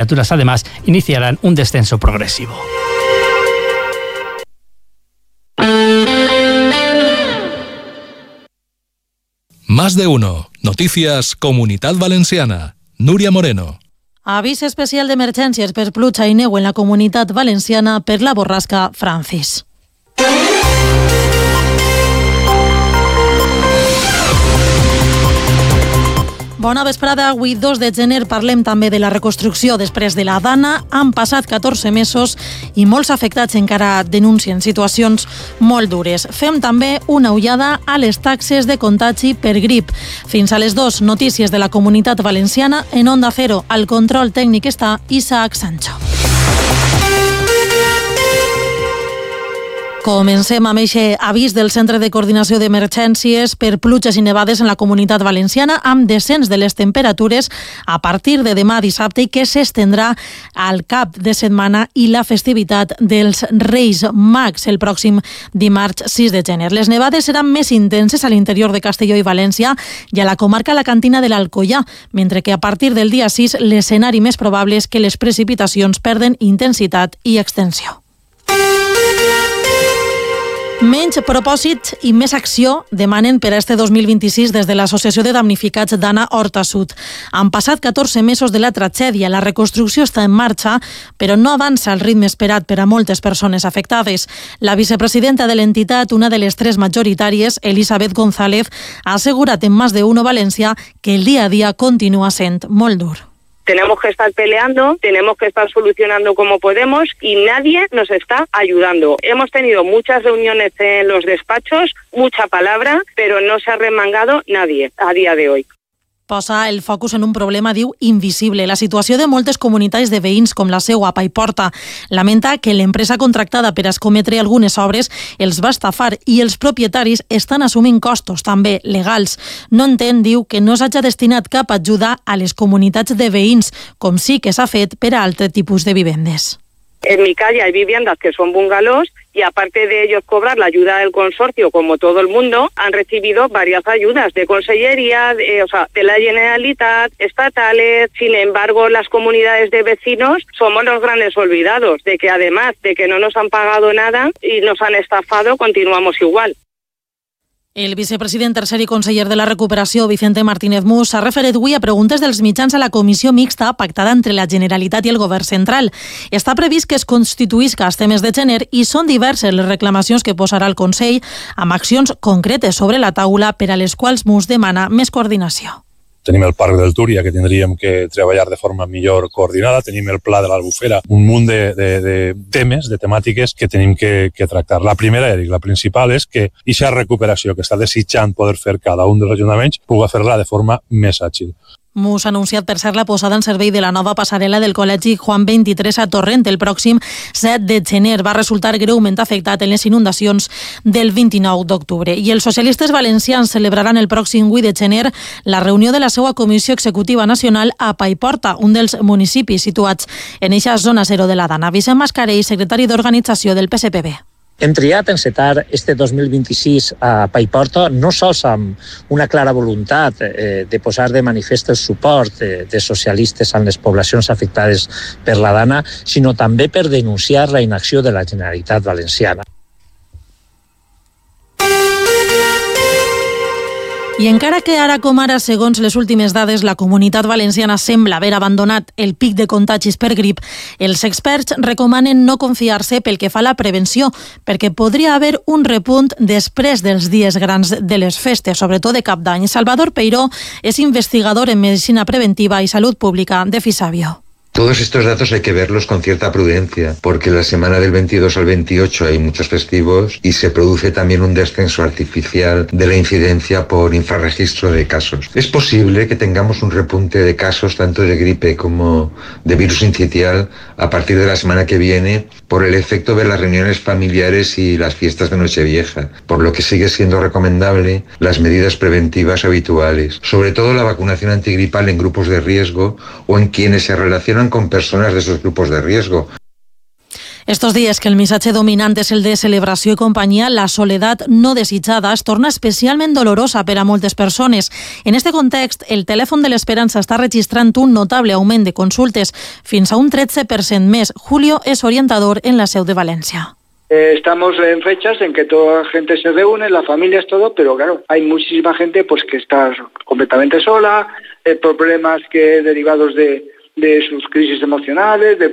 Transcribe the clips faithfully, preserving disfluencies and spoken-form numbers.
temperaturas además iniciarán un descenso progresivo. Más de uno. Noticias Comunitat Valenciana. Núria Moreno. Avís especial d'emergències per pluja i neu en la Comunitat Valenciana per la borrasca Francis. Bona vesprada. Avui, dos de gener, parlem també de la reconstrucció després de la Dana. Han passat catorze mesos i molts afectats encara denuncien situacions molt dures. Fem també una ullada a les taxes de contagi per grip. Fins a les dues, notícies de la Comunitat Valenciana en Onda Cero. Al control tècnic està Isaac Sancho. Comencem amb aquest avís del Centre de Coordinació d'Emergències per pluges i nevades en la Comunitat Valenciana, amb descens de les temperatures a partir de demà dissabte i que s'estendrà al cap de setmana i la festivitat dels Reis Mags el pròxim dimarts sis de gener. Les nevades seran més intenses a l'interior de Castelló i València i a la comarca alacantina de l'Alcoià, mentre que a partir del dia sis l'escenari més probable és que les precipitacions perden intensitat i extensió. Menys propòsit i més acció demanen per a este dos mil vint-i-sis des de l'Associació de Damnificats d'Anna Horta Sud. Han passat catorze mesos de la tragèdia, la reconstrucció està en marxa, però no avança al ritme esperat per a moltes persones afectades. La vicepresidenta de l'entitat, una de les tres majoritàries, Elisabet González, ha assegurat en Más de Uno Valencia que el día a día continúa sent molt dur. Tenemos que estar peleando, tenemos que estar solucionando como podemos y nadie nos está ayudando. Hemos tenido muchas reuniones en los despachos, mucha palabra, pero no se ha remangado nadie a día de hoy. Posa el focus en un problema, diu, invisible. La situació de moltes comunitats de veïns, com la seua a Paiporta. Lamenta que l'empresa contractada per a escometre algunes obres els va estafar i els propietaris estan assumint costos, també legals. No entén, diu, que no s'hagi destinat cap ajuda a les comunitats de veïns, com sí que s'ha fet per a altre tipus de vivendes. En mi calle hay viviendas que son bungalows y aparte de ellos cobrar la ayuda del consorcio, como todo el mundo, han recibido varias ayudas de consellería, de, o sea, de la Generalitat, estatales. Sin embargo, las comunidades de vecinos somos los grandes olvidados de que además de que no nos han pagado nada y nos han estafado, continuamos igual. El vicepresident tercer i conseller de la Recuperació, Vicente Martínez Mus, s'ha referit avui a preguntes dels mitjans a la comissió mixta pactada entre la Generalitat i el Govern central. Està previst que es constituïsca este mes de gener i són diverses les reclamacions que posarà el Consell amb accions concretes sobre la taula per a les quals Mus demana més coordinació. Tenim el Parc del Túria, que tindríem que treballar de forma millor coordinada. Tenim el Pla de l'Albufera, un munt de, de, de temes, de temàtiques que tenim que, que tractar. La primera, Eric, la principal, és que aquesta recuperació que està desitjant poder fer cada un dels ajuntaments puga fer-la de forma més àgil. Mus ha anunciat per ser la posada en servei de la nova passarel·la del Col·legi Juan vint-i-tres a Torrent el pròxim set de gener. Va resultar greument afectat en les inundacions del vint-i-nou d'octubre. I els socialistes valencians celebraran el pròxim vuit de gener la reunió de la seva Comissió Executiva Nacional a Paiporta, un dels municipis situats en eixa zona zero de la Dana. Vicent Mascarell, secretari d'Organització del P S P B. Hem triat encetar este dos mil vint-i-sis a Paiporta no sols amb una clara voluntat eh, de posar de manifest el suport de, de socialistes en les poblacions afectades per la Dana, sinó també per denunciar la inacció de la Generalitat Valenciana. I encara que ara com ara, segons les últimes dades, la Comunitat Valenciana sembla haver abandonat el pic de contagis per grip, els experts recomanen no confiar-se pel que fa a la prevenció, perquè podria haver un repunt després dels dies grans de les festes, sobretot de Cap d'Any. Salvador Peiró és investigador en Medicina Preventiva i Salut Pública de Fisabio. Todos estos datos hay que verlos con cierta prudencia, porque la semana del veintidós al veintiocho hay muchos festivos y se produce también un descenso artificial de la incidencia por infrarregistro de casos. Es posible que tengamos un repunte de casos tanto de gripe como de virus sincitial a partir de la semana que viene por el efecto de las reuniones familiares y las fiestas de Nochevieja, por lo que sigue siendo recomendable las medidas preventivas habituales, sobre todo la vacunación antigripal en grupos de riesgo o en quienes se relacionan con personas de esos grupos de riesgo. Estos dies que el missatge dominant és el de celebració i companyia, la soledat no desitjada es torna especialment dolorosa per a moltes persones. En este context, el telèfon de l'Esperança està registrant un notable augment de consultes, fins a un tretze per cent més. Julio és orientador en la seu de València. Eh, estamos en fechas en que toda la gente se reúne, la familia es todo, pero claro, hay muchísima gente pues que está completamente sola, eh, problemas que derivados de, de sus crisis emocionales, de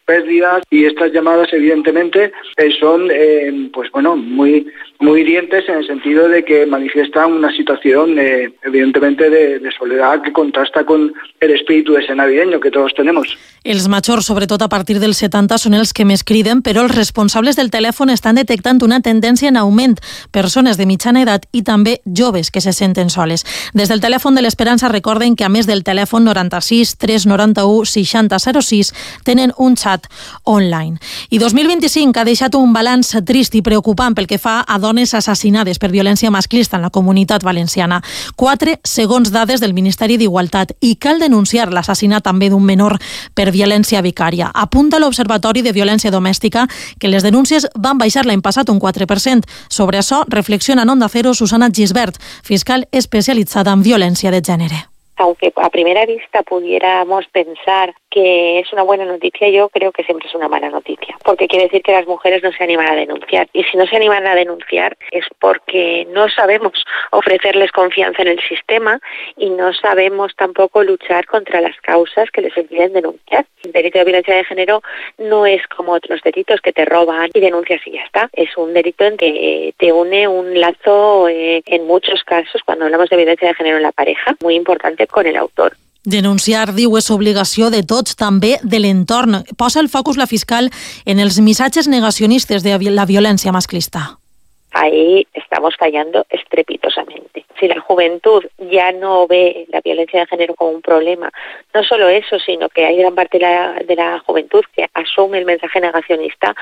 pérdidas, y estas llamadas evidentemente eh, son eh, pues bueno muy muy hirientes en el sentido de que manifiestan una situación eh, evidentemente de, de soledad que contrasta con el espíritu ese navideño que todos tenemos. Els majors, sobretot a partir dels setanta, són els que més criden, però els responsables del telèfon estan detectant una tendència en augment, persones de mitjana edat i també joves que se senten soles. Des del telèfon de l'Esperança recorden que a més del telèfon noranta-sis tres noranta-u seixanta zero sis tenen un xat online. I dos mil vint-i-cinc ha deixat un balanç trist i preocupant pel que fa a dones assassinades per violència masclista en la comunitat valenciana. Quatre segons dades del Ministeri d'Igualtat, i cal denunciar l'assassinat també d'un menor per violència vicària. Apunta l'Observatori de Violència Domèstica que les denúncies van baixar l'any passat un quatre per cent. Sobre això reflexiona en Onda Cero Susana Gisbert, fiscal especialitzada en violència de gènere. Aunque a primera vista pudiéramos pensar que es una buena noticia, yo creo que siempre es una mala noticia, porque quiere decir que las mujeres no se animan a denunciar, y si no se animan a denunciar es porque no sabemos ofrecerles confianza en el sistema y no sabemos tampoco luchar contra las causas que les impiden denunciar. El delito de violencia de género no es como otros delitos que te roban y denuncias y ya está. Es un delito en que te une un lazo, eh, en muchos casos, cuando hablamos de violencia de género en la pareja, muy importante con el autor. Denunciar, diu, és obligació de tots, també de l'entorn. Posa el focus la fiscal en els missatges negacionistes de la violència masclista. Ahí estamos fallando estrepitosamente. Si la juventud ya no ve la violencia de género como un problema, no solo eso, sino que hay gran parte de la, de la juventud que asume el mensaje negacionista,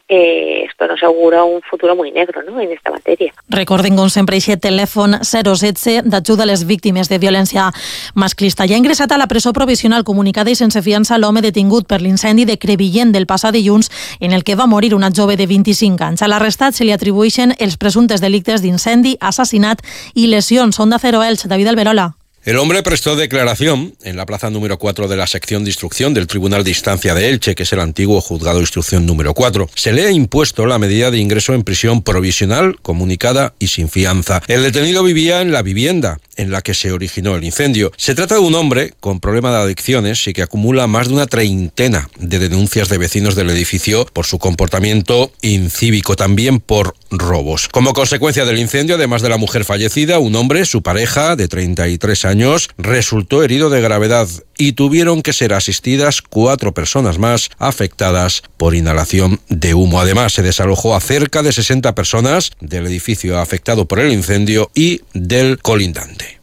eh, esto nos augura un futuro muy negro, ¿no?, en esta materia. Recorden, com sempre, aquest telèfon zero setze d'ajuda a les víctimes de violència masclista. Ja ha ingressat a la presó provisional comunicada i sense fiança l'home detingut per l'incendi de Crevillent del passat dilluns, en el que va morir una jove de vint-i-cinc anys. A l'arrestat se li atribueixen els presuntes delictes d'incendi, assassinat i lesions. Onda Cero Elx, David Alberola. El hombre prestó declaración en la plaza número cuatro de la sección de instrucción del Tribunal de Instancia de Elche, que es el antiguo juzgado de instrucción número cuatro. Se le ha impuesto la medida de ingreso en prisión provisional, comunicada y sin fianza. El detenido vivía en la vivienda en la que se originó el incendio. Se trata de un hombre con problema de adicciones y que acumula más de una treintena de denuncias de vecinos del edificio por su comportamiento incívico, también por robos. Como consecuencia del incendio, además de la mujer fallecida, un hombre, su pareja, de treinta y tres años, resultó herido de gravedad y tuvieron que ser asistidas cuatro personas más afectadas por inhalación de humo. Además, se desalojó a cerca de sesenta personas del edificio afectado por el incendio y del colindante.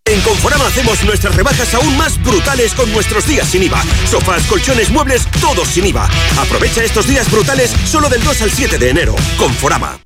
En Conforama hacemos nuestras rebajas aún más brutales con nuestros días sin I V A. Sofás, colchones, muebles, todos sin I V A. Aprovecha estos días brutales solo del dos al siete de enero. Conforama.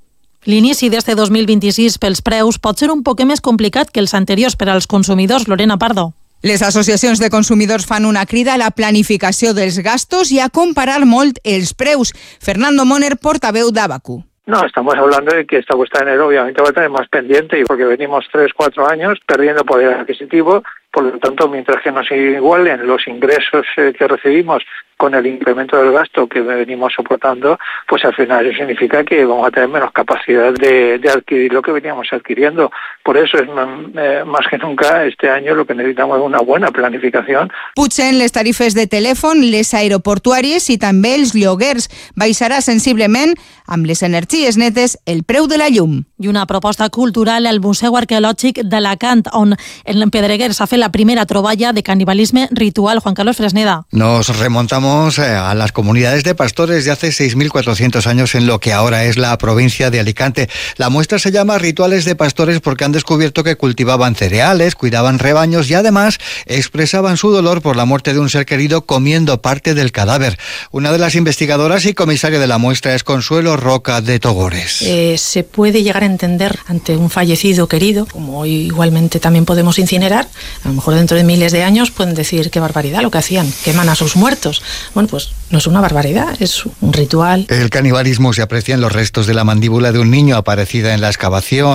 L'inici d'este dos mil vint-i-sis pels preus pot ser un poc més complicat que els anteriors per als consumidors. Lorena Pardo. Les associacions de consumidors fan una crida a la planificació dels gastos i a comparar molt els preus. Fernando Moner, portaveu d'Abacu. No, estamos hablando de que esta cuesta de enero obviamente va a tener más pendiente, y porque venimos tres, cuatro años perdiendo poder adquisitivo. Por lo tanto, mientras que nos igualen los ingresos eh, que recibimos con el incremento del gasto que venimos soportando, pues al final eso significa que vamos a tener menos capacidad de, de adquirir lo que veníamos adquiriendo. Por eso es eh, más que nunca este año lo que necesitamos es una buena planificación. Pugen les tarifes de telèfon, les aeroportuàries i també els lloguers. Baixarà sensiblement, amb les energies netes, el preu de la llum. I una proposta cultural al Museu Arqueològic d'Alacant, on en Pedreguer s'ha fet la primera troballa de canibalisme ritual. Juan Carlos Fresneda. Nos remontamos a las comunidades de pastores de hace seis mil cuatrocientos años en lo que ahora es la provincia de Alicante. La muestra se llama Rituales de Pastores porque han descubierto que cultivaban cereales, cuidaban rebaños y además expresaban su dolor por la muerte de un ser querido comiendo parte del cadáver. Una de las investigadoras y comisaria de la muestra es Consuelo Roca de Togores. Eh, se puede llegar a entender ante un fallecido querido, como igualmente también podemos incinerar. A lo mejor dentro de miles de años pueden decir qué barbaridad lo que hacían, queman a sus muertos. bueno, pues no es una barbaridad, es un ritual. El canibalismo se aprecia en los restos de la mandíbula de un niño aparecida en la excavación.